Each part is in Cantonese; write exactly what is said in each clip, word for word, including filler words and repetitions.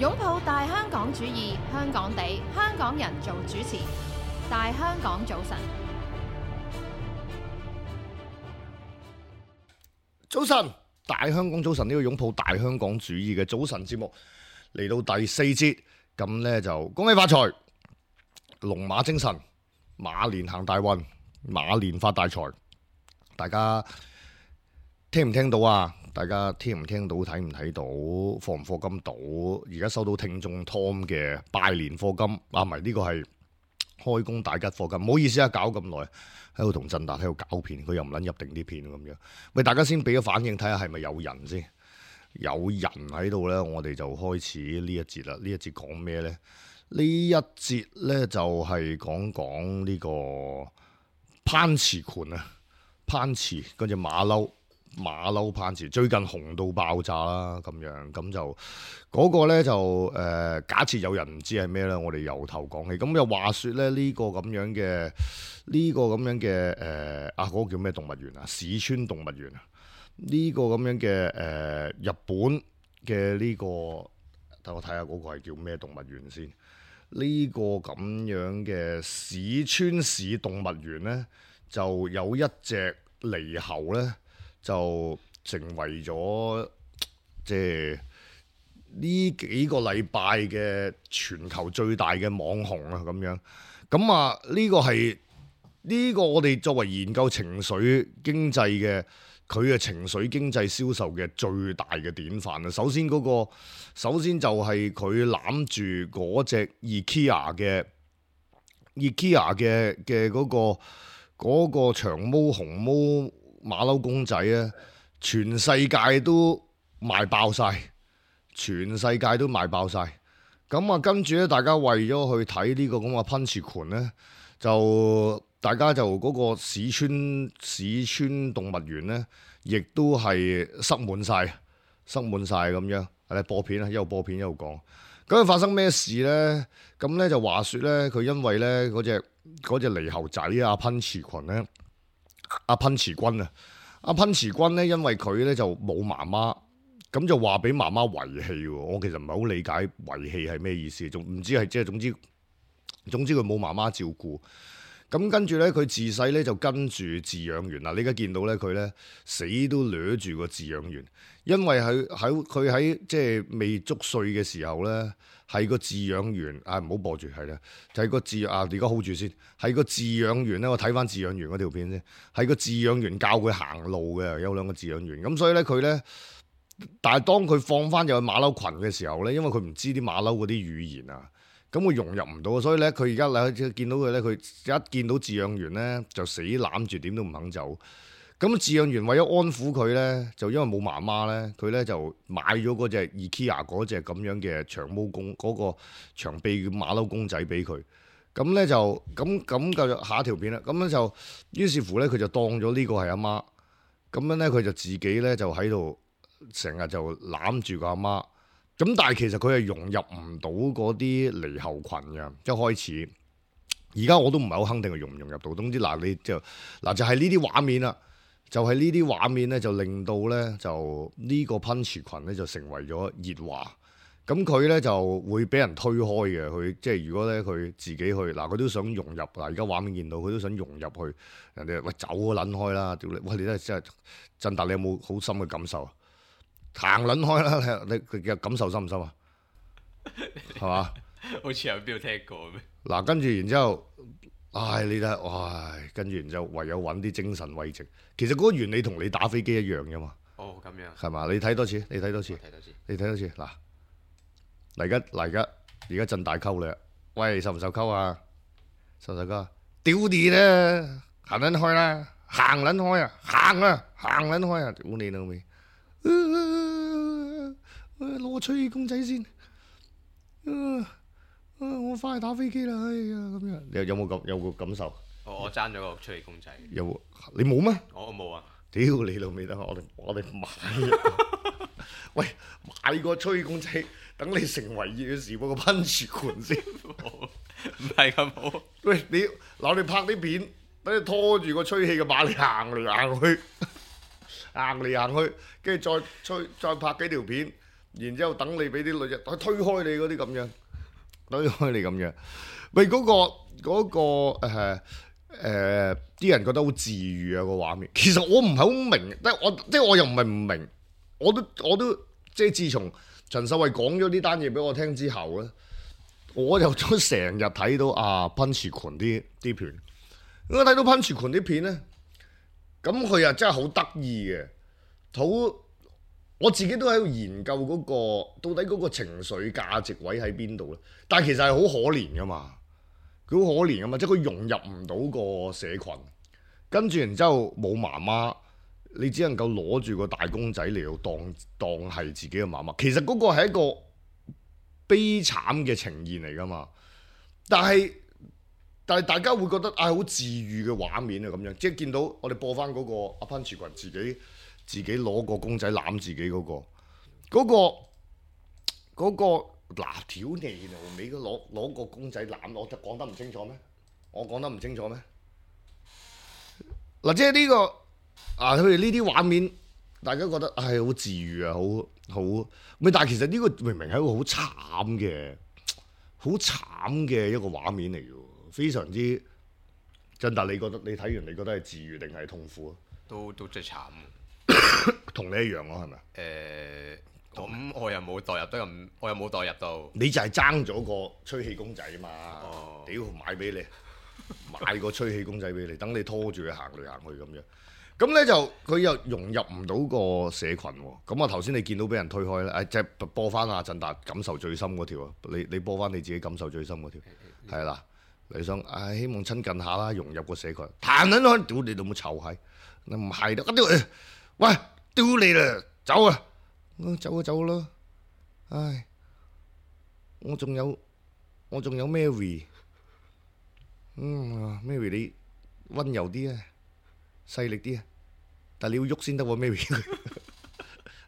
擁抱大香港主義，香港地，香港人做主持。大香港早晨，早晨，大香港早晨，呢個擁抱大香港主義嘅早晨節目嚟到第四節，咁呢就恭喜發財，龍馬精神，馬年行大運，馬年發大財。大家聽唔聽到啊？大家聽唔聽到？睇唔睇到？課唔課金到？而家收到聽眾 Tom 嘅拜年課金，啊唔係呢個係開工大吉課金。唔好意思啊，搞咁耐喺度同振達喺度搞片，佢又唔撚入定啲片咁樣。喂，大家先俾個反應睇下係咪有人先？有人喺度呢，我哋就開始呢一節啦。呢一節講咩呢？呢一節呢，就係講講呢個攀池群啊，攀池嗰隻馬騮。馬騮攀池最近紅到爆炸啦，咁樣咁就嗰、那個呢，就誒、呃，假設有人唔知係咩呢，我哋由頭講起。咁又話說咧，呢、這個咁樣嘅呢、這個咁樣嘅誒、呃、啊嗰、那個叫咩動物園啊？市川動物園啊？呢、這個咁樣嘅誒、呃、日本嘅呢、這個，等我睇下嗰個係叫咩動物園先？呢、這個咁樣嘅市川市動物園呢，就有一隻獼猴呢。就成為咗即係呢幾個禮拜嘅全球最大嘅網紅啊，咁樣咁啊呢個係呢、呢個我哋作為研究情緒經濟嘅，佢嘅情緒經濟銷售嘅最大嘅典範啊。首先嗰、嗰個首先就係佢攬住嗰隻 IKEA 嘅 IKEA 嘅嘅嗰個嗰、嗰個長毛紅毛馬騮公仔啊，全世界都賣爆晒，全世界都賣爆晒。咁啊，跟住咧，大家為咗去睇呢個咁嘅噴泉群咧，就大家就嗰個市川市川動物園咧，亦都係塞滿晒，塞滿晒咁樣。係播片啊，一路播片一路講。咁發生咩事咧？咁咧就話說咧，佢因為咧嗰隻嗰隻獼猴仔啊，噴泉群咧。阿噴池君啊，阿噴池君咧，因為佢咧就冇媽媽，咁就話俾媽媽遺棄喎。我其實唔係好理解遺棄係咩意思，仲唔知係即係總之總之佢冇媽媽照顧。咁跟住咧，佢自細咧就跟住飼養員嗱，你而家見到咧佢咧死都掠住個飼養員，因為喺喺佢喺即係未足歲嘅時候咧。係個飼養員啊，唔好播住，係啦，就係、是、個飼啊，而家 hold 住先。係個飼養員咧，我睇翻飼養員嗰條片先。係個飼養員教佢行路嘅，有兩個飼養員。咁所以咧，佢咧，但係當佢放翻入去馬騮群嘅時候咧，因為佢唔知啲馬騮嗰啲語言啊，咁佢融入唔到，所以咧，佢而家嚟見到佢咧，佢一見到飼養員咧，就死攬住，點都唔肯走。咁飼養員為咗安撫佢咧，就因為冇媽媽咧，佢咧就買咗嗰隻 IKEA 嗰隻咁樣嘅長毛公嗰、嗰個長臂馬騮公仔俾佢。咁咧就咁咁就下一條片啦。咁樣就於是乎咧，佢就當咗呢個係阿媽。咁樣咧，佢就自己咧就喺度成日就攬住個阿媽。咁但係其實佢係融入唔到嗰啲獼猴群嘅，一開始。而家我都唔係好肯定佢融唔融入到。總之嗱，你就嗱就係呢啲畫面啦。就係呢啲畫面咧，就令到咧就呢個噴池群咧就成為咗熱話。咁佢咧就會俾人推開嘅。佢即係如果咧佢自己去嗱，佢都想融入嗱。而家畫面見到佢都想融入去，人哋喂走啊撚開啦！屌你，喂你真係真係振達，你有冇好深嘅感受啊？行撚開啦！你佢嘅感受深唔深啊？係嘛？好似有邊度聽過咩？嗱，跟住然之後。唉，你睇，唉，跟住然之後唯有揾啲精神慰藉。其實嗰個原理同你打飛機一樣啫嘛。哦，咁樣。係嘛？你睇多次，你睇多次，睇多次，你睇多次。嗱，嚟緊嚟緊，而家震大溝你，喂，受唔受溝啊？受唔受溝啊？屌你啦，行撚開啦，行撚開啊，行啊，行撚開啊，屌你老味！攞個吹氣公仔先。啊啊、我翻去打飛機啦，哎呀咁樣，你有冇咁有冇感受？我我爭咗個吹氣公仔。有冇？你冇咩？我冇啊！屌你老味得，我哋我哋買。喂，買個吹氣公仔，等你成為熱嘅時報個噴泉群先。唔係咁好。喂，你嗱你拍啲片，等你拖住個吹氣嘅馬嚟行嚟行去，行嚟行去，跟住再吹再拍幾條片。然之後等你俾啲女人推開你嗰啲咁樣，推開你咁樣。喂，嗰、個嗰、個誒誒啲人覺得好治愈啊、個畫面。其實我唔係好明，但我即係我又唔係唔明，我都我都即係自從陳秀慧講咗呢單嘢俾我聽之後咧，我就都成日睇到啊噴池群啲啲片。我睇到噴池群啲片咧，咁佢又真係好得意嘅，好。我自己都喺度研究嗰、個到底嗰個情緒價值位喺邊度咧？但係其實係好可憐噶嘛，佢好可憐噶嘛，即係佢融入唔到個社群，跟住然之後冇媽媽，你只能夠攞住個大公仔嚟到當當係自己嘅媽媽。其實嗰個係一個悲慘嘅呈現嚟噶嘛，但係但係大家會覺得啊好治愈嘅畫面啊咁樣，即係見到我哋播翻嗰個阿潘池群自己。自己攞個公仔攬自己嗰、個，嗰、個嗰、個嗱條脷度尾，攞攞個公仔攬，我就講得唔清楚咩？我講得唔清楚咩？嗱，即係呢個啊，佢哋呢啲畫面，大家覺得係好治愈啊，好好咪？但係其實呢個明明係一個好慘嘅、好慘嘅一個畫面嚟嘅，非常之真。但你覺得你睇完，你覺得係治愈定係痛苦啊？都都真係慘。同你一樣咯，係咪？誒，咁我又冇代入得咁，我又冇代入到。你就係爭咗個吹氣公仔嘛？哦，屌買俾你，買個吹氣公仔俾你，等你拖住佢行嚟行去咁樣。咁咧就佢又融入唔到個社群喎。咁啊頭先你見到俾人推開咧，誒即係播翻阿振達感受最深嗰條啊！你你播翻你自己感受最深嗰條，係啦。你想誒希望親近下啦，融入個社群。彈撚開，屌你老母臭閪！你唔係得，屌！喂，屌你啦，走啊！走啊走咯！唉，我仲有我仲有 Mary， 嗯 Mary 你温柔啲啊，細力啲啊，但係你要喐先得喎 Mary，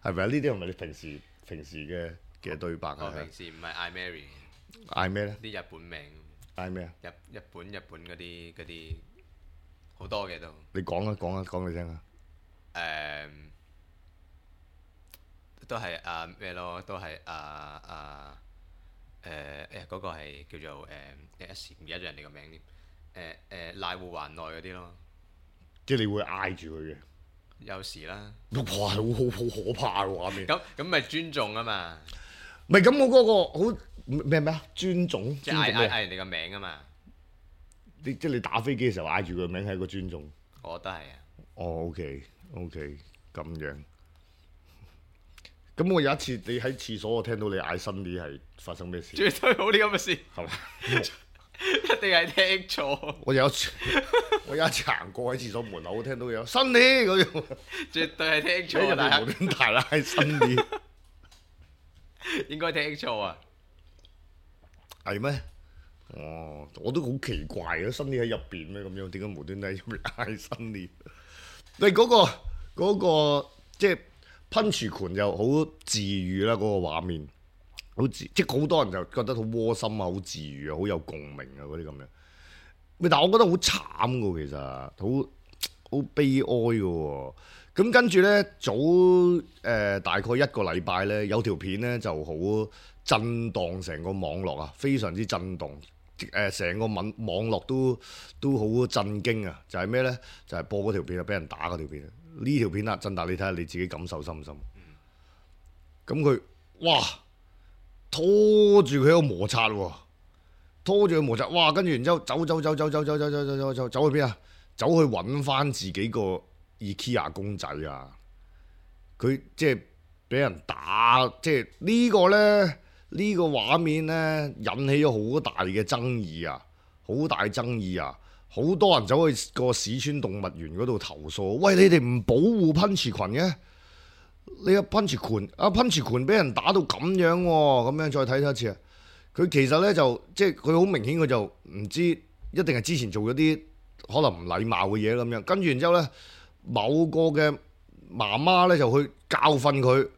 係咪啊？呢啲係咪你平時平時嘅嘅對白啊？我平時唔係嗌 Mary，嗌咩咧？啲日本名。嗌咩啊？日日本日本嗰啲嗰啲好多嘅都。你講啊講啊講嚟聽啊！誒，都係啊咩咯？都係啊啊誒誒嗰個係叫做誒一時唔記得咗人哋個名添。誒誒瀨戶環內嗰啲咯。即係你會嗌住佢嘅。有時啦。哇！好好好可怕嘅畫面。咁咁咪尊重啊嘛。唔係咁，我嗰個好咩咩啊？尊重。即係嗌嗌嗌人哋個名啊嘛。你即係你打飛機嘅時候嗌住佢個名係一個尊重。我覺得係啊。哦，OK OK，咁樣。咁我有一次你喺廁所，我聽到你嗌Sunny係發生咩事？絕對冇呢咁嘅事。係嘛？一定係聽錯。我有一次，我有一次行過喺廁所門口，我聽到有Sunny嗰樣。絕對係聽錯，但係無端大嗌Sunny。應該聽錯啊？係咩？哦，我都好奇怪啊！Sunny喺入邊咩咁樣？點解無端端喺入邊嗌Sunny？你嗰個嗰個即係噴泉群又好治愈啦，嗰個畫面好治，即係好多人就覺得好窩心啊，好治愈啊，好有共鳴啊嗰啲咁樣。但係我覺得好慘噶，其實好好悲哀噶。咁跟住咧，早誒、呃、大概一個禮拜咧，有條片咧就好震盪成個網絡啊，非常之震動。誒成、呃、個網網絡都都好震驚啊！就係咩咧？就係、是、播嗰條片啊，俾人打嗰條片。呢條片啊，振達你睇下你自己感受深唔深？咁佢、嗯、哇拖住佢喺度摩擦喎，拖住佢摩擦，哇！跟住然之後走走走走走走走走走走走走去邊啊？走去揾翻自己個 IKEA 公仔啊！佢即係俾人打，即係呢個咧。呢個畫面咧引起咗好大嘅爭議啊！好大爭議啊！好多人走去個市川動物園嗰度投訴，喂，你哋唔保護噴池群嘅？你個噴池群啊，噴池群俾人打到咁樣喎、啊，咁樣再睇多一次啊！佢其實咧就即係佢好明顯，佢就唔知一定係之前做咗啲可能唔禮貌嘅嘢咁樣，跟住然之後咧，某個嘅媽媽咧就去教訓佢。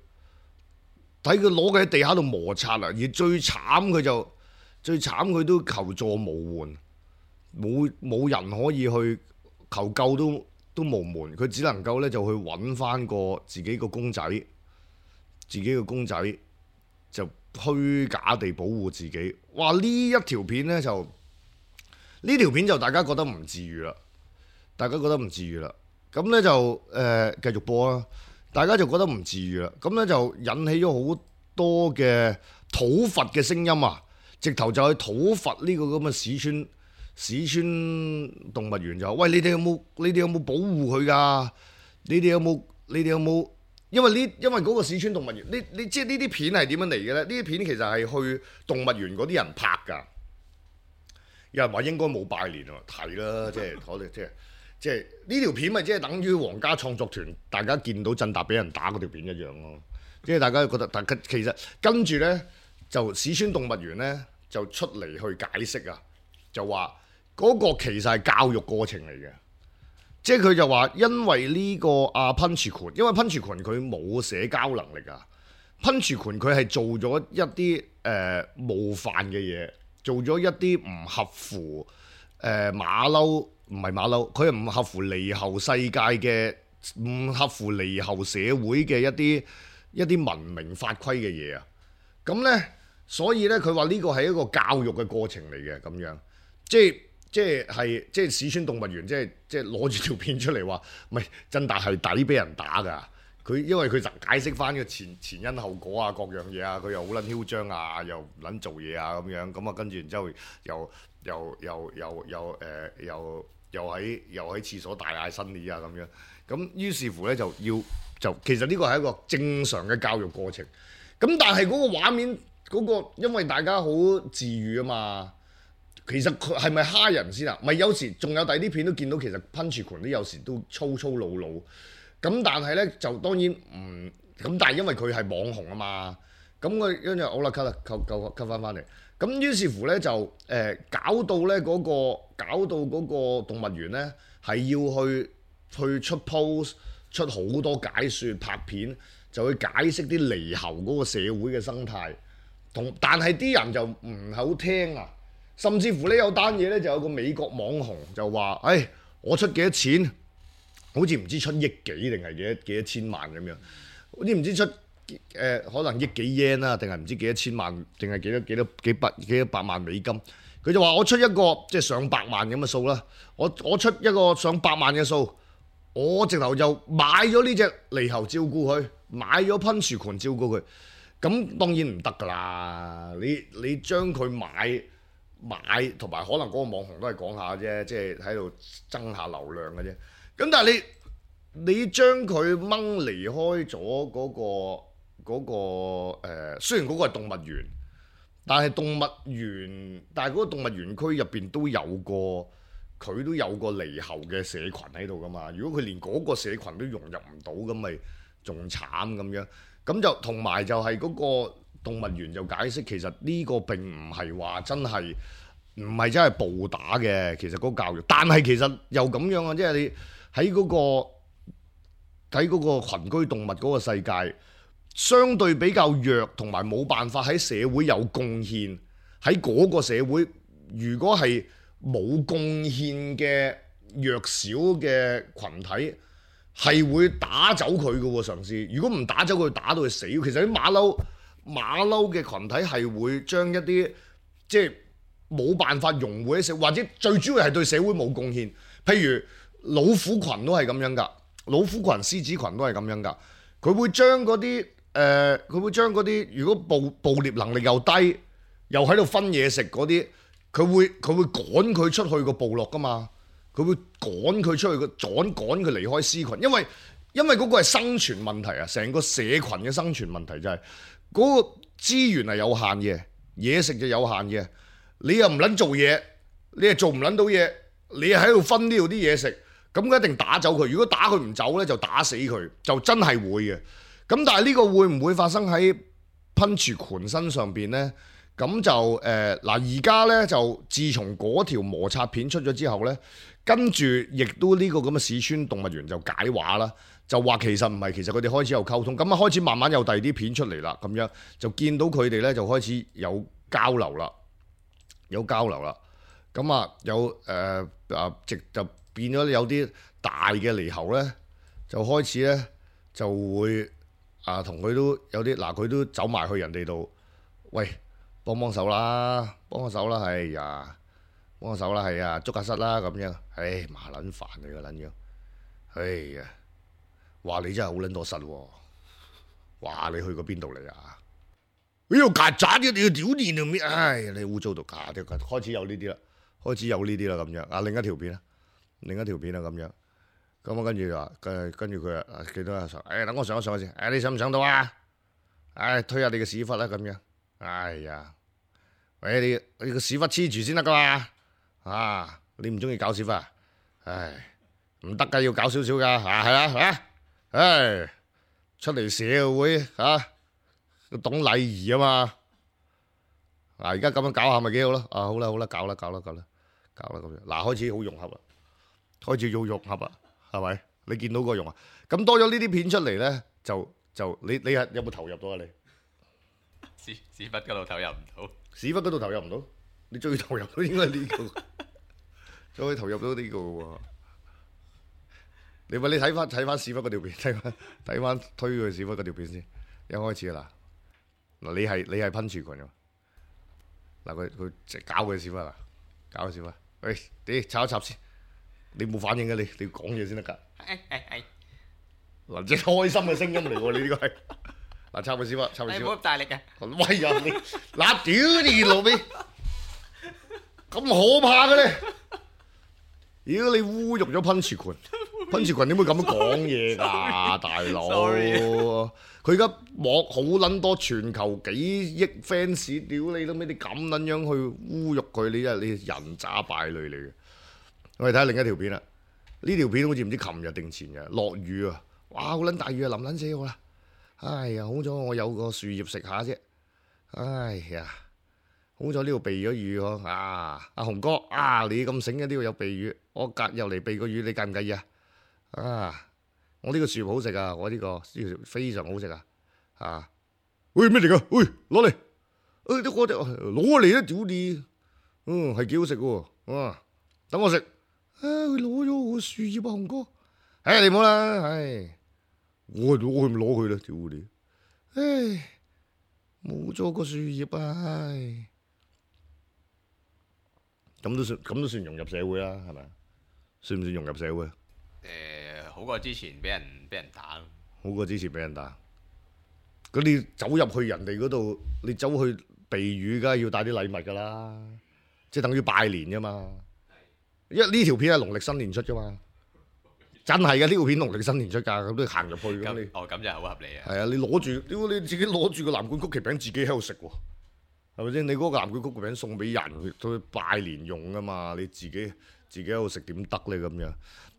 睇佢攞佢喺地下度摩擦啊！而最慘佢就最慘佢都求助無援，冇冇人可以去求救都都無門，佢只能夠咧就去揾翻個自己個公仔，自己個公仔就虛假地保護自己。哇！呢一條片呢，就呢條片就大家覺得唔治愈啦，大家覺得唔治愈啦。咁呢，就誒、呃、繼續播啦，大家就覺得唔治愈啦。咁呢，就引起咗好多嘅討伐嘅聲音啊！直頭就去討伐呢個咁嘅市川市川動物園就話：喂，你哋有冇你哋有冇保護佢㗎？你哋有冇你哋有冇？因為呢因為嗰個市川動物園，你你知呢啲片係點樣嚟嘅咧？呢啲片其實係去動物園嗰啲人拍㗎。有人話應該冇拜年喎，睇啦，即係我哋即係即係呢條片咪即係等於皇家創作團大家見到振達俾人打嗰條片一樣咯。即係大家覺得，大家其實跟住咧就市川動物園咧就出嚟去解釋啊，就話嗰個其實係教育過程嚟嘅。即係佢就話，因為呢個阿噴泉權，因為噴泉權佢冇社交能力啊。噴泉權佢係做咗一啲誒、呃、冒犯嘅嘢，做咗一啲唔合乎誒、呃、馬騮，唔係馬騮，佢係唔合乎獼猴世界嘅，唔合乎獼猴社會嘅一啲一啲文明法規嘅嘢啊。咁呢，所以呢，佢話呢個係一個教育嘅過程嚟嘅，咁樣即係。即係係即係市川動物園，即係即係攞住條片出嚟話，唔係振達係抵俾人打㗎。佢因為佢就解釋翻個前前因後果啊，各樣嘢啊，佢又好撚囂張啊，又唔撚做嘢啊咁樣，咁啊跟住然之後又又又又又誒又又喺又喺廁所大嗌新年啊咁樣，咁於是乎咧就要就其實呢個係一個正常嘅教育過程。咁但係嗰個畫面嗰、嗰個，因為大家好治愈啊嘛。其實佢係咪蝦人先啊？咪有時仲有第二啲片都見到，其實噴泉權都有時都粗粗魯魯。咁但係咧就當然唔咁，但係因為佢係網紅啊嘛。咁佢跟住好啦，cut 啦，cut cut cut 翻翻嚟。咁於是乎咧就誒、呃、搞到咧嗰、嗰個搞到嗰個動物園咧係要去去出 post 出好多解説拍片，就去解釋啲獼猴嗰個社會嘅生態。同但係啲人就唔好聽啊。甚至乎呢有單嘢咧，就有個美國網紅就話：，誒、哎，我出幾多錢？好似唔知出億幾定係幾多幾多千萬咁樣，好似唔知出誒、呃、可能億幾 yen 啦，定係唔知幾多千萬，定係幾多幾多幾百幾多百萬美金。佢就話：我出一個即係上百萬咁嘅數啦，我我出一個上百萬嘅數，我直頭就買咗呢隻獼猴照顧佢，買咗噴樹群照顧佢。咁當然唔得㗎啦！你你將佢買。買同埋可能嗰個網紅都係講下啫，即係喺度爭下流量嘅啫。咁但係你你將佢掹離開咗嗰個嗰個誒，雖然嗰個係動物園，但係動物園，但係嗰個動物園區入邊都有個佢都有個獼猴嘅社群喺度㗎嘛。如果佢連嗰個社群都融入唔到，咁咪仲慘咁樣。咁就同埋就係嗰個。動物園就解釋，其實呢個並唔係話真係唔係真係暴打嘅，其實嗰個教育，但係其實又咁樣啊，即係你喺嗰個喺嗰個群居動物嗰個世界，相對比較弱，同埋冇辦法喺社會有貢獻，喺嗰個社會，如果係冇貢獻嘅弱小嘅群體，係會打走佢嘅喎，嘗試。如果唔打走佢，打到佢死。其實啲馬騮。馬騮嘅群體係會將一啲即係冇辦法融匯喺社會，或者最主要係對社會冇貢獻。譬如老虎群都係咁樣㗎，老虎群、獅子群都係咁樣㗎。佢會將嗰啲誒，佢、呃、會將嗰啲如果捕捕獵能力又低，又喺度分嘢食嗰啲，佢會佢會趕佢出去個部落㗎嘛。佢會趕佢出去個趕趕佢離開獅群，因為因為嗰個係生存問題啊，成個社群嘅生存問題就係、是。嗰個資源係有限嘅，嘢食就有限嘅。你又唔撚做嘢，你又做唔撚到嘢，你又喺度分呢度啲嘢食，咁佢一定打走佢。如果打佢唔走呢，就打死佢，就真係會嘅。咁但係呢個會唔會發生喺噴泉群身上邊呢？咁就誒嗱，而家呢，就自從嗰條摩擦片出咗之後呢，跟住亦都呢個咁嘅市川動物園就解話啦。就話其實唔係，其實佢哋開始有溝通，咁啊開始慢慢有第二啲片出嚟啦，咁樣就見到佢哋咧就開始有交流啦，有交流啦，咁啊有誒啊直就變咗有啲大嘅獼猴咧，就開始咧就會啊同佢都有啲嗱，佢都走埋去人哋度喂，幫幫手啦，幫幫手啦，係呀，幫幫手啦，係啊，捉下虱啦咁樣。唉，麻撚煩你個撚樣，唉呀，話你真係好撚多虱喎，話你去過邊度嚟啊？呢度曱甴嘅，你要屌你條咩？唉，你污糟到假啲，開始有呢啲啦，開始有呢啲啦咁樣。啊，另一條片啦，另一條片啦咁樣。咁啊，跟住話，跟跟住佢啊，幾多啊上？誒，等我上一上先。誒，你上唔上到啊？誒，推下你個屎忽啦咁樣。哎呀，喂，你你個屎忽黐住先得噶嘛？啊，你唔中意搞屎忽啊？唉，唔得噶，要搞少少噶。啊，係啦，嚇，唉，出嚟社會嚇。懂禮儀啊嘛，嗱而家咁樣搞下咪幾好咯，啊好啦好啦，搞啦搞啦搞啦搞啦咁樣，嗱開始好融合啦，開始要融合啦，係咪？你見到個融合，咁多咗呢啲片出嚟咧，就就你你係有冇投入到啊你？屎屎忽嗰度投入唔到，屎忽嗰度投入唔到，你最投入到應該係呢個，最可以投入到呢個喎。你話你睇翻睇翻屎忽嗰條片，睇翻睇翻推佢屎忽嗰條片先，一開始啦。嗱，你係你係噴泉群㗎，嗱佢佢直搞佢屎忽啦，搞佢屎忽，喂，你插一插先，你冇反應嘅你，你講嘢先得㗎。係係係。嗱，即係開心嘅聲音嚟喎，你呢個係，嗱插佢屎忽，插佢屎忽。你唔好咁大力嘅。喂呀你，嗱屌你老味，咁可怕嘅咧！如果你侮辱咗噴泉群，噴泉群點會咁樣講嘢㗎，大佬？佢而家網好撚多，全球幾億 fans，屌你都咩？你咁撚樣去侮辱佢，你真係你人渣敗類嚟嘅。我哋睇下另一條片啦，呢條片好似唔知琴日定前日落雨啊！哇，好撚大雨啊，淋撚死我啦！哎呀，好彩我有個樹葉食下啫。哎呀，好彩呢度避咗雨喎。啊，阿雄哥啊，你咁醒嘅呢度有避雨，我隔入嚟避個雨，你介唔介意啊？啊！我呢個樹葉好食啊！我呢、這個呢條、這個、非常好食啊！啊！喂咩嚟㗎？喂攞嚟！誒啲我哋攞嚟啦！屌你！嗯係幾好食嘅喎！啊等我食！啊佢攞咗我樹葉啊，雄哥！誒、哎、你唔好啦！唉、哎，我我唔攞佢啦！屌你！唉，冇咗個樹葉啊！唉，咁都算咁都算融入社會啦，係咪？算唔算融入社會？誒好過之前俾人俾人打咯，好過之前俾人打。咁你走入去人哋嗰度，你走去避雨，梗係要帶啲禮物㗎啦，即係等於拜年㗎嘛。因為呢條片係農曆新年出㗎嘛，真係嘅呢條片農曆新年出㗎，咁都行入去咁你。哦咁就好合理啊。係啊，你攞住，屌你自己攞住個藍罐曲奇餅自己喺度食喎，係咪先？你嗰個藍罐曲奇餅送俾人，去拜年用㗎嘛，你自己自己喺度食點得咧咁樣？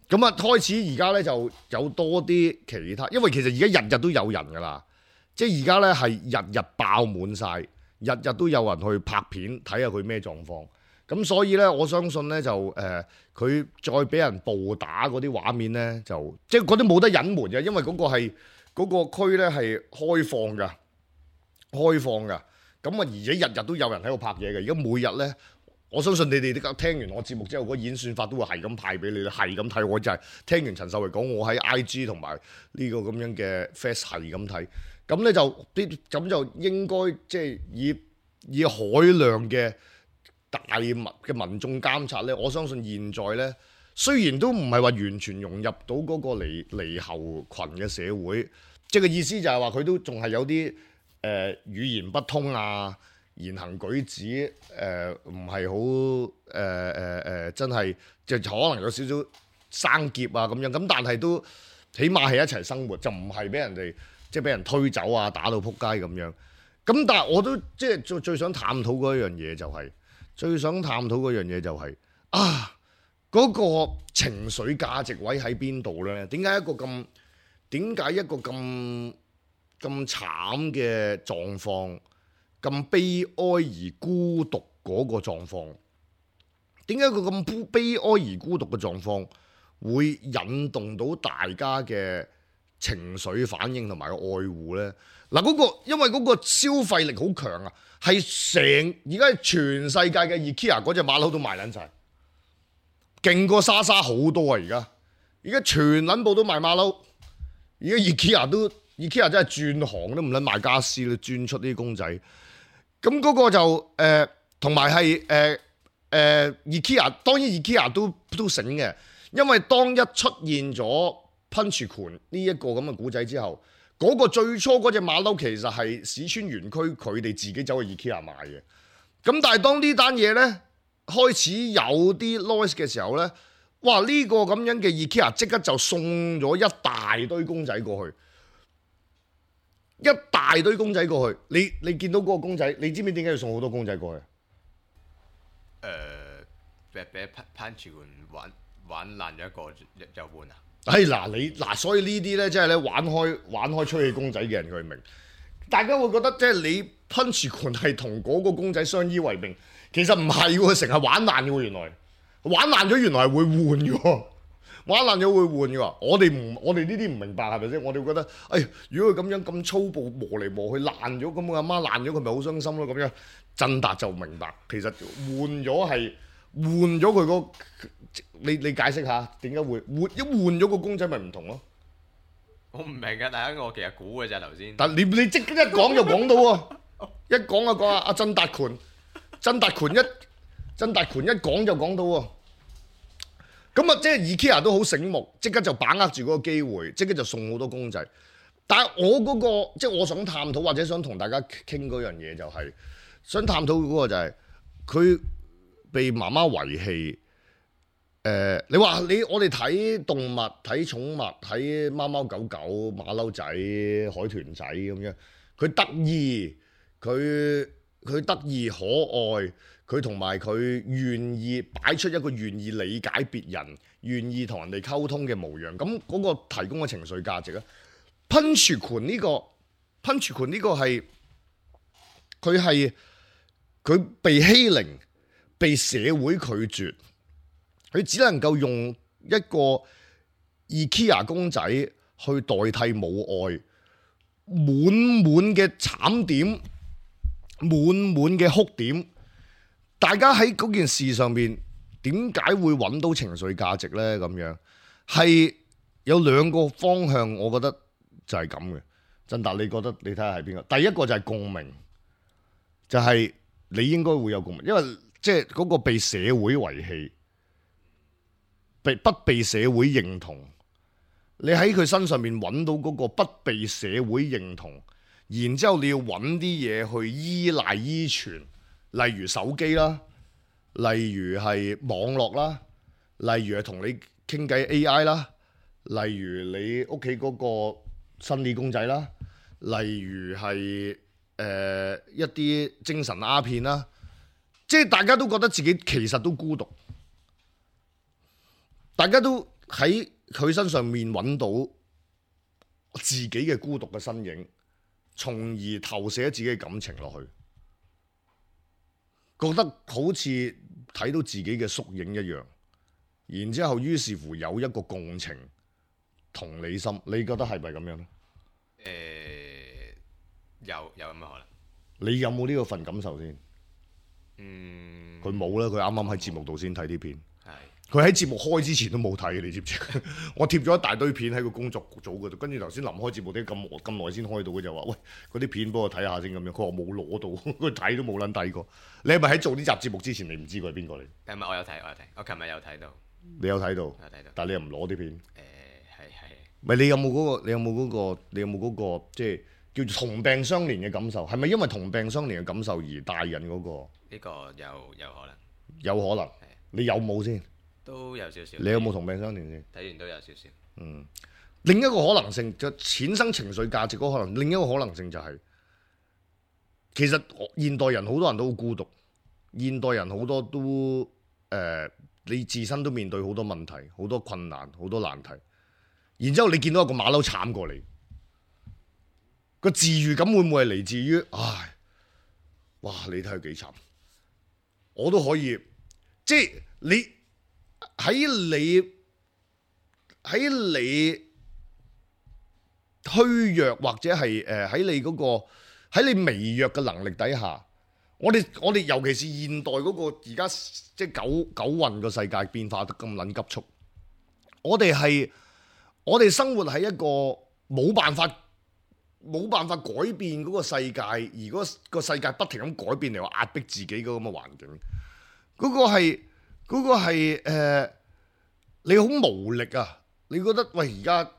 咁啊，開始而家咧就有多啲其他，因為其實而家日日都有人噶啦，即係而家咧係日日爆滿晒，日日都有人去拍片睇下佢咩狀況。咁所以咧，我相信咧就誒，佢、呃、再俾人暴打嗰啲畫面咧，就即係嗰啲冇得隱瞞嘅，因為嗰個係嗰、嗰個區咧係開放㗎，開放㗎。咁啊，而且日日都有人喺度拍嘢嘅，而家每日咧。我相信你哋啲聽完我節目之後，嗰演算法都會係咁派俾你，係咁睇。我就係聽完陳秀慧講，我喺 I G 同埋呢個咁樣嘅 Face 係咁睇，咁咧就啲咁就應該即係以以海量嘅大民嘅民眾監察咧。我相信現在咧，雖然都唔係話完全融入到嗰個離離後群嘅社會，即係個意思就係話佢都仲係有啲誒、呃、語言不通啊。言行舉止誒唔係好誒誒誒，真係就可能有少少生澀啊咁樣，咁但係都起碼係一齊生活，就唔係俾人哋即係俾人推走啊，打到撲街咁樣。咁但係我都即係最最想探討嗰一樣嘢就係、是，最想探討嗰樣嘢就係、是、啊嗰、那個情緒價值位喺邊度咧？點解一個咁點解一個咁咁慘嘅狀況？咁悲哀而孤獨嗰個狀況，點解個咁悲哀而孤獨嘅狀況會引動到大家嘅情緒反應同埋愛護呢？嗱，嗰個因為嗰個消費力好強啊，係成而家全世界嘅 IKEA 嗰隻馬騮都賣撚晒，勁過莎莎好多啊！而家而家全撚部都賣馬騮，而家 IKEA 都 IKEA 真係轉行都唔撚賣家私啦，轉出啲公仔。咁嗰個就誒，同埋係誒誒 IKEA，當然 IKEA 都都醒嘅，因為當一出現咗噴泉權呢一個咁嘅古仔之後，嗰、那個最初嗰隻馬騮其實係市村園區佢哋自己走去 IKEA 買嘅。咁但係當呢單嘢咧開始有啲 noise 嘅時候咧，哇！呢、這個咁樣嘅 IKEA 即刻就送咗一大堆公仔過去。一大堆公仔過去，你你見到嗰個公仔，你知唔知點解要送好多公仔過去？誒、呃，俾俾噴泉玩玩爛咗一個就就換啊！哎嗱，你嗱，所以呢啲咧，即係咧玩開玩開吹氣公仔嘅人佢明，大家會覺得即係你噴泉權係同嗰個公仔相依為命，其實唔係喎，成日玩爛嘅喎，原來玩爛咗原來係會換嘅喎。玩爛咗會換嘅喎，我哋唔，我哋呢啲唔明白係咪先？我哋會覺得，哎，如果佢咁樣咁粗暴磨嚟磨去爛咗，咁佢阿媽爛咗，佢咪好傷心咯咁樣。振達就明白，其實換咗係換咗佢個，你你解釋下點解會換一換咗個公仔咪唔同咯？我唔明㗎，大家我其實估嘅咋頭先。但你你即刻一講就講到喎，一講就講阿阿振達權，振達權一振達權一講就講到喎。咁啊，即係 IKEA 都好醒目，即刻就把握住嗰個機會，即刻就送好多公仔。但係我嗰、嗰個即係我想探討或者想同大家傾嗰樣嘢，就係想探討嗰個就係、係、佢被媽媽遺棄。誒、呃，你話你我哋睇動物、睇寵物、睇貓貓狗狗、馬騮仔、海豚仔咁樣，佢得意，佢佢得意可愛。佢同埋佢願意擺出一個願意理解別人、願意同人哋溝通嘅模樣，咁嗰個提供嘅情緒價值咧，噴泉權呢個噴泉權呢個係佢係佢被欺凌、被社會拒絕，佢只能夠用一個 IKEA 公仔去代替母愛，滿滿嘅慘點，滿滿嘅哭點。大家喺嗰件事上面點解會揾到情緒價值呢？咁樣係有兩個方向，我覺得就係咁嘅。振達，你覺得你睇下係邊個？第一個就係共鳴，就係、是、你應該會有共鳴，因為即係嗰個被社會遺棄、被不被社會認同，你喺佢身上面揾到嗰個不被社會認同，然之後你要揾啲嘢去依賴依存。例如手機啦，例如係網絡啦，例如係同你傾偈 A I 啦，例如你屋企嗰個生理公仔啦，例如係誒、呃、一啲精神鴉片啦，即係大家都覺得自己其實都孤獨，大家都喺佢身上面揾到自己嘅孤獨嘅身影，從而投射自己嘅感情落去。覺得好似睇到自己嘅縮影一樣，然之後於是乎有一個共情同理心，你覺得係咪咁樣咧？誒、呃，有有咁嘅可能。你有冇呢個份感受先？嗯，佢冇啦，佢啱啱喺節目度先睇啲片。係。佢喺節目開之前都冇睇，你知唔知？我貼咗一大堆片喺個工作組嗰度，跟住頭先臨開節目啲咁咁耐先開到，佢就話：喂，嗰啲片幫我睇下先咁樣。佢話冇攞到，佢睇都冇撚睇過。你係咪喺做呢集節目之前，你唔知佢係邊個嚟？係咪我有睇？我有睇。我琴日有睇到。你有睇到？有睇到。但係你又唔攞啲片？誒係係。唔係你有冇嗰個？你有冇嗰個？你有冇嗰個？即係叫做同病相憐嘅感受？係咪因為同病相憐嘅感受而帶引嗰個？呢個有有可能。有可能。你有冇先？都有少少。你有冇同病相憐先？睇完都有少少。嗯，另一個可能性就產生情緒價值嗰個可能，另一個可能性就係、是，其實現代人好多人都好孤獨，現代人好多都誒、呃，你自身都面對好多問題、好多困難、好多難題，然之後你見到一個馬騮慘過你，個治癒感會唔會係嚟自於唉，哇！你睇佢幾慘，我都可以，即係你。喺你喺你虛弱或者係誒喺你嗰個喺你微弱嘅能力底下，我哋我哋尤其是現代嗰個而家即係九九運個世界變化得咁撚急速，我哋係我哋生活喺一個冇辦法冇辦法改變嗰個世界，而嗰個世界不停咁改變嚟話壓迫自己嗰咁嘅環境，嗰、嗰個係嗰、嗰個係、呃、你好無力啊！你覺得喂而家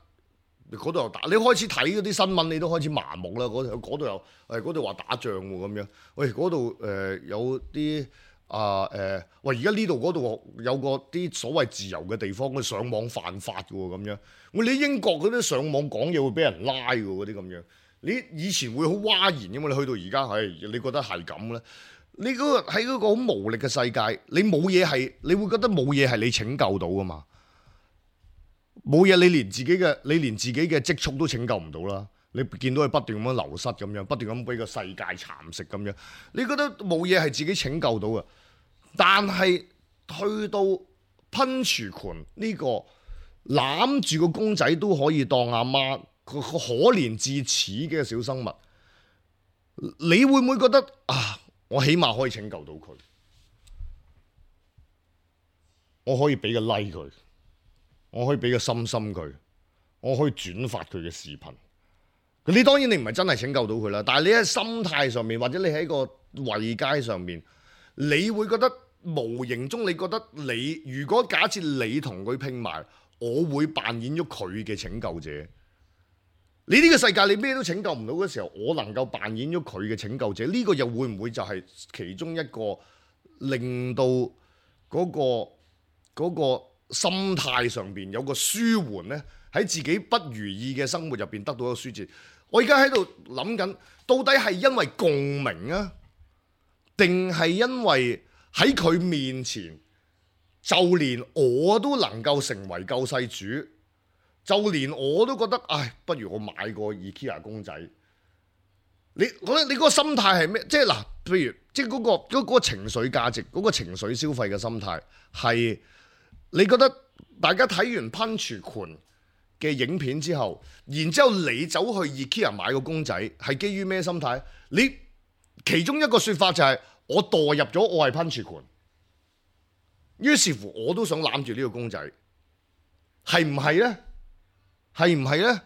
嗰度又打，你開始睇嗰啲新聞，你都開始麻木啦。嗰度嗰度又誒嗰度話打仗喎咁樣，喂嗰度誒有啲啊誒，喂而家呢度嗰度有個啲所謂自由嘅地方，佢上網犯法嘅喎咁樣。喂你英國嗰啲上網講嘢會俾人拉嘅嗰啲咁樣。你以前會好嘩然嘅嘛？你去到而家係，你覺得係咁咧？你嗰個喺嗰個好無力嘅世界，你冇嘢係，你會覺得冇嘢係你拯救到噶嘛？冇嘢，你連自己嘅你連自己嘅積蓄都拯救唔到啦！你見到佢不斷咁樣流失咁樣，不斷咁俾個世界蠶食咁樣，你覺得冇嘢係自己拯救到嘅？但係去到噴泉權呢個攬住個公仔都可以當阿媽。個可憐至此嘅小生物，你會唔會覺得啊？我起碼可以拯救到佢，我可以俾個 like 佢，我可以俾個心心佢，我可以轉發佢嘅視頻。你當然你唔係真係拯救到佢啦，但係你喺心態上面，或者你喺個位階上面，你會覺得無形中你覺得你如果假設你同佢拼埋，我會扮演咗佢嘅拯救者。你呢個世界你咩都拯救唔到嘅時候，我能夠扮演咗佢嘅拯救者，呢個又會唔會就係其中一個令到嗰個嗰個心態上邊有個舒緩呢？喺自己不如意嘅生活入邊得到一個舒緩。我而家喺度諗緊，到底係因為共鳴啊，定係因為喺佢面前，就連我都能夠成為救世主？就連我都覺得，唉，不如我買個 IKEA 公仔。你覺得你嗰個心態係咩？即係嗱，譬如即係嗰個嗰個情緒價值，嗰個情緒消費嘅心態係，你覺得大家睇完噴泉權嘅影片之後，然之後你走去 IKEA 買個公仔，係基於咩心態？你其中一個説法就係我墮入咗我係噴泉權，於是乎我都想攬住呢個公仔，係唔係呢？係唔係呢？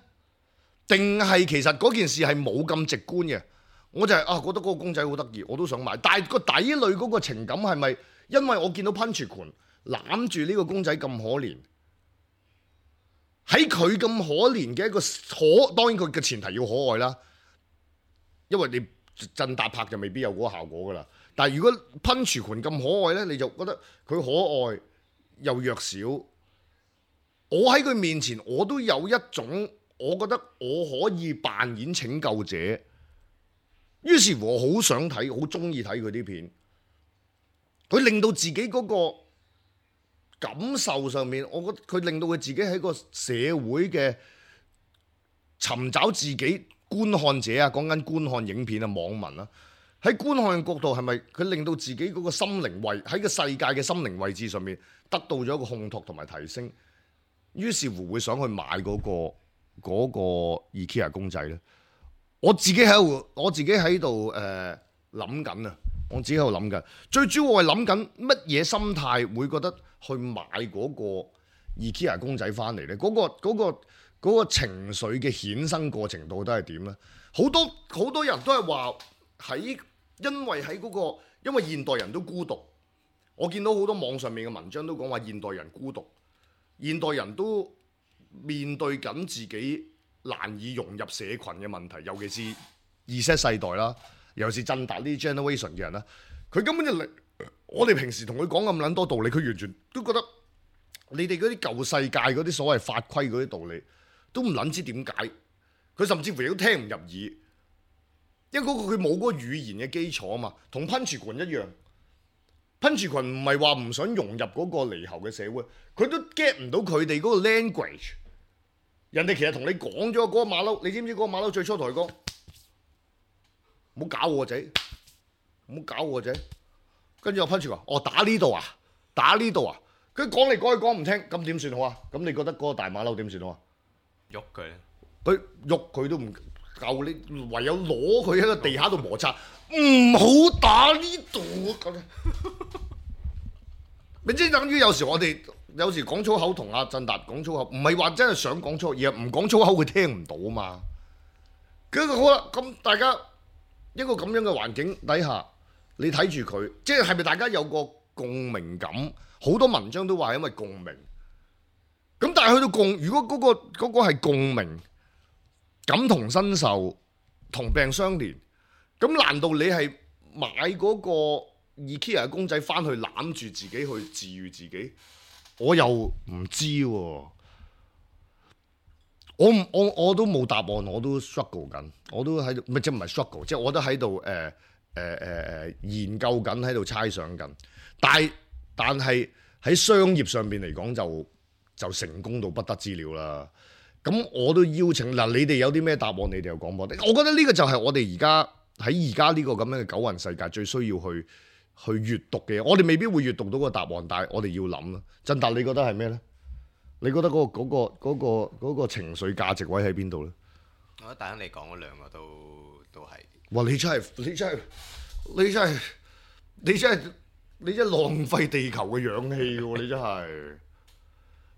定係其實嗰件事係冇咁直觀嘅？我就係、是、啊，覺得嗰個公仔好得意，我都想買。但係個底裏嗰個情感係咪因為我見到噴泉權攬住呢個公仔咁可憐？喺佢咁可憐嘅一個可，當然佢嘅前提要可愛啦。因為你振達拍就未必有嗰個效果噶啦。但係如果噴泉權咁可愛呢，你就覺得佢可愛又弱小。我喺佢面前，我都有一種，我覺得我可以扮演拯救者。於是乎，我好想睇，好中意睇佢啲片。佢令到自己嗰個感受上面，我覺得佢令到佢自己喺個社會嘅尋找自己觀看者啊，講緊觀看影片啊，網民啊，喺觀看嘅角度係咪佢令到自己嗰個心靈位喺個世界嘅心靈位置上面得到咗一個烘托同埋提升？於是乎會想去買嗰個嗰個 IKEA 公仔咧。我自己喺度，我自己喺度誒諗緊啊！我自己喺度諗緊，最主要我係諗緊乜嘢心態會覺得去買嗰個 IKEA 公仔翻嚟咧？嗰個嗰個嗰個情緒嘅衍生過程到底係點咧？好多好多人都係話喺因為喺嗰個因為現代人都孤獨。我見到好多網上面嘅文章都講話現代人孤獨。現代人都面對緊自己難以融入社群嘅問題，尤其是 Z 世代啦，尤其是振達呢啲 generation 嘅人啦，佢根本就嚟，我哋平時同佢講咁撚多道理，佢完全都覺得你哋嗰啲舊世界嗰啲所謂法規嗰啲道理都唔撚知點解，佢甚至乎亦都聽唔入耳，因為嗰個佢冇嗰個語言嘅基礎啊嘛，同噴泉群一樣。噴泉群唔係話唔想融入嗰個離後嘅社會，佢都 get 唔到佢哋嗰個 language。人哋其實同你講咗嗰個馬騮，你知唔知嗰個馬騮最初同佢講唔好搞我仔，唔好搞我仔。跟住我噴泉話：哦，打呢度啊，打呢度啊。佢講嚟講去講唔聽，咁點算好啊？咁你覺得嗰個大馬騮點算好啊？喐佢咧，佢喐佢都唔夠，你唯有攞佢喺個地下度摩擦，唔好打呢度咁。你即係等於有時我哋有時講粗口同阿振達講粗口，唔係話真係想講粗口，而係唔講粗口佢聽唔到啊嘛。咁好啦，咁大家一個咁樣嘅環境底下，你睇住佢，即係係咪大家有個共鳴感？好多文章都話因為共鳴。咁但係去到共，如果嗰個嗰個係共鳴、感同身受、同病相憐，咁難道你係買嗰個 IKEA 嘅公仔翻去攬住自己去治癒自己？我又唔知喎、啊。我唔我我都冇答案，我都 struggle 緊，我都喺度，唔係即係唔係 struggle，即係我都喺度誒誒誒誒研究緊，喺度猜想緊。但係但係喺商業上邊嚟講就就成功到不得之了啦。咁我都邀請嗱，你哋有啲咩答案，你哋又講我。我覺得呢個就係我哋而家喺而家呢個咁樣嘅九運世界最需要去去閱讀嘅嘢。我哋未必會閱讀到個答案，但係我哋要諗啦。振達，你覺得係咩咧？你覺得嗰、嗰個嗰、嗰個嗰、嗰個嗰個情緒價值位喺邊度咧？我覺得大亨你講嗰兩個都都係。哇！你真係你真係你真係你真係你真係浪費地球嘅氧氣喎！你真係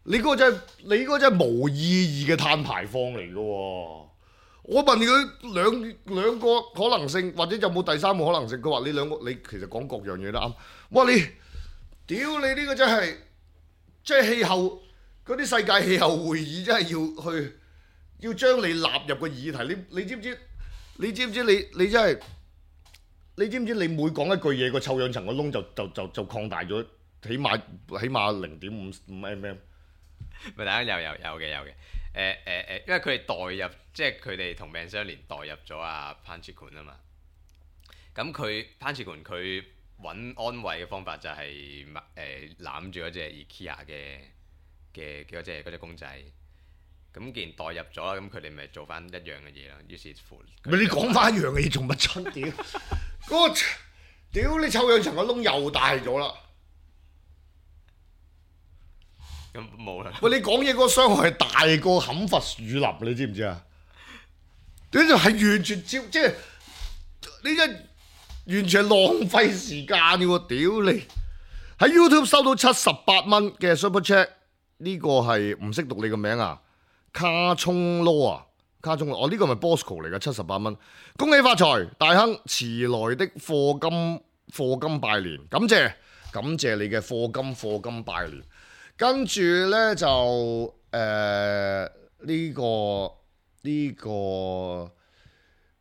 你嗰個真係你嗰個真係無意義嘅碳排放嚟嘅喎！我問佢兩兩個可能性，或者有冇第三個可能性？佢話你兩個你其實講各樣嘢都啱。哇！你屌你呢個真係即係氣候。嗰啲世界氣候會議真係要去，要將你納入個議題。你你知唔知？你知唔知？你你真係，你知唔知？你每講一句嘢，個臭氧層個窿就就就就擴大咗，起碼起碼零點五五 mm。咪大家有有有嘅有嘅。誒誒誒，因為佢哋代入，即係佢哋同命相連代入咗阿潘志權啊嘛。咁佢潘志權佢揾安慰嘅方法就係誒攬住嗰隻 IKEA 嘅。嘅嗰隻嗰隻公仔，咁既然代入咗啦，咁佢哋咪做翻一樣嘅嘢咯。於是乎，咪你講翻一樣嘅嘢做乜春屌？嗰個屌你臭氧層個窿又大咗啦！咁冇啦。喂，你講嘢嗰個傷害係大過砍伐樹林，你知唔知啊？呢就係完全照，即係你真完全係浪費時間嘅喎！屌你喺 YouTube 收到七十八蚊嘅 Super Chat。呢個係唔識讀你個名啊，卡聰羅啊，卡聰羅，我呢個咪 Bosco 嚟嘅，七十八蚊，恭喜發財，大亨遲來的課金課金拜年，感謝感謝你嘅課金課金拜年，跟住呢，就誒呢、呃呢個呢、呢個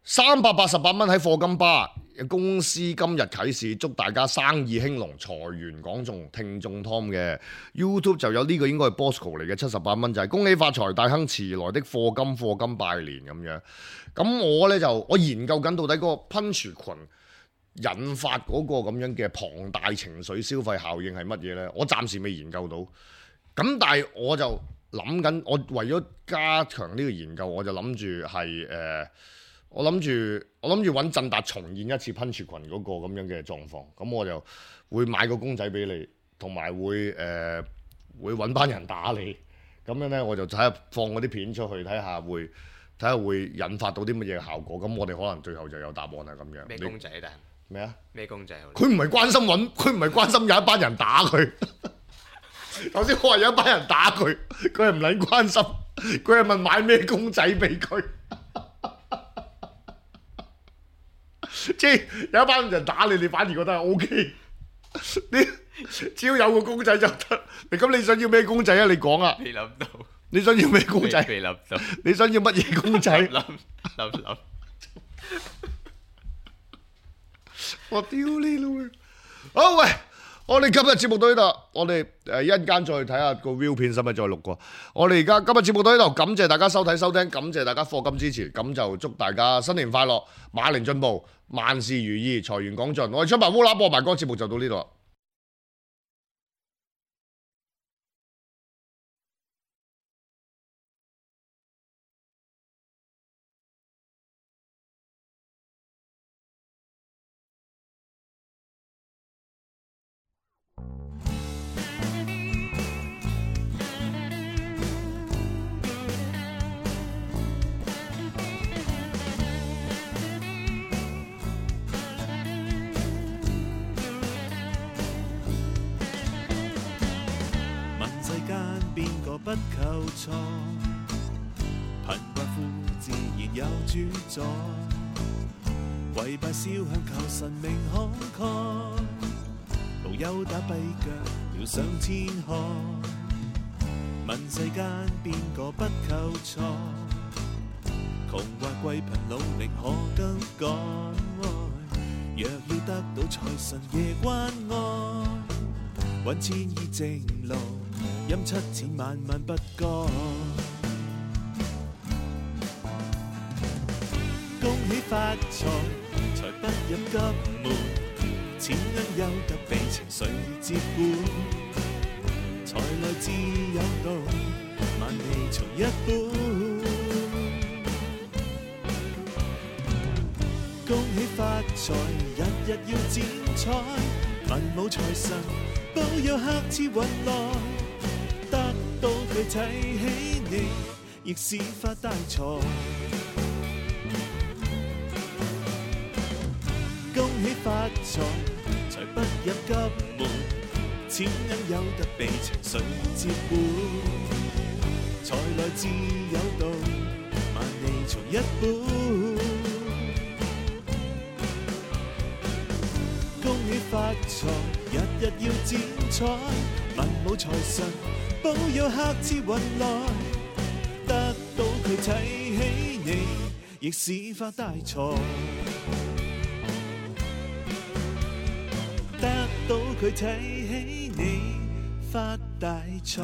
三百八十八蚊喺課金吧。公司今日啟示，祝大家生意興隆，財源廣眾。聽眾 Tom 嘅 YouTube 就有呢個，應該係 Bosco 嚟嘅，七十八蚊就係、是、恭喜發財，大亨遲來的課金課金拜年咁樣。咁我呢，就我研究緊到底嗰個噴泉群引發嗰個咁樣嘅龐大情緒消費效應係乜嘢呢？我暫時未研究到。咁但係我就諗緊，我為咗加強呢個研究，我就諗住係誒。我諗住，我諗住揾振達重現一次噴泉群嗰個咁樣嘅狀況，咁我就會買個公仔俾你，同埋會誒、呃、會揾班人打你，咁樣呢，我就睇下放嗰啲片出去，睇下會睇下會引發到啲乜嘢效果，咁我哋可能最後就有答案係咁樣。咩公仔但咩啊？咩公仔？佢唔係關心揾，佢唔係關心有一班人打佢。頭先我話有一班人打佢，佢係唔撚關心，佢係問買咩公仔俾佢。即係有一班人打你，你反而覺得係 O K。你只要有個公仔就得。你咁你想要咩公仔啊？你講啊！未諗到。你想要咩公仔？未諗到。你想要乜嘢公仔？諗諗諗。我屌你老！好喂，我哋今日節目到呢度，我哋誒一陣間再睇下個 view 片，使唔使再錄過？我哋而家今日節目到呢度，感謝大家收睇收聽，感謝大家課金支持，咁就祝大家新年快樂，馬年進步，萬事如意，財源廣進。我哋出埋烏鴉播埋嗰個節目就到呢度啦。不求錯，貧困富自然有主宰，跪拜燒香求神明慷慨，無憂打跛腳遙上天海，問世間邊個不求財，窮或貴貧努力可更改，若要得到財神夜關愛，揾千億正路，陰七錢萬萬不該。恭喜發財，財不入急門，錢銀有得被情緒接管，財來自有道，萬利從一本。恭喜發財，日日要剪彩，文武財神保佑客似雲來，得到佢睇起你，亦是發大財。恭喜發財，財不入急門，錢銀有得被情緒接管，財來自有道，萬利從一本。恭喜發財，日日要剪彩，文武財神保佑客似雲來，得到佢睇起你，亦是發大財。得到佢睇起你，發大財。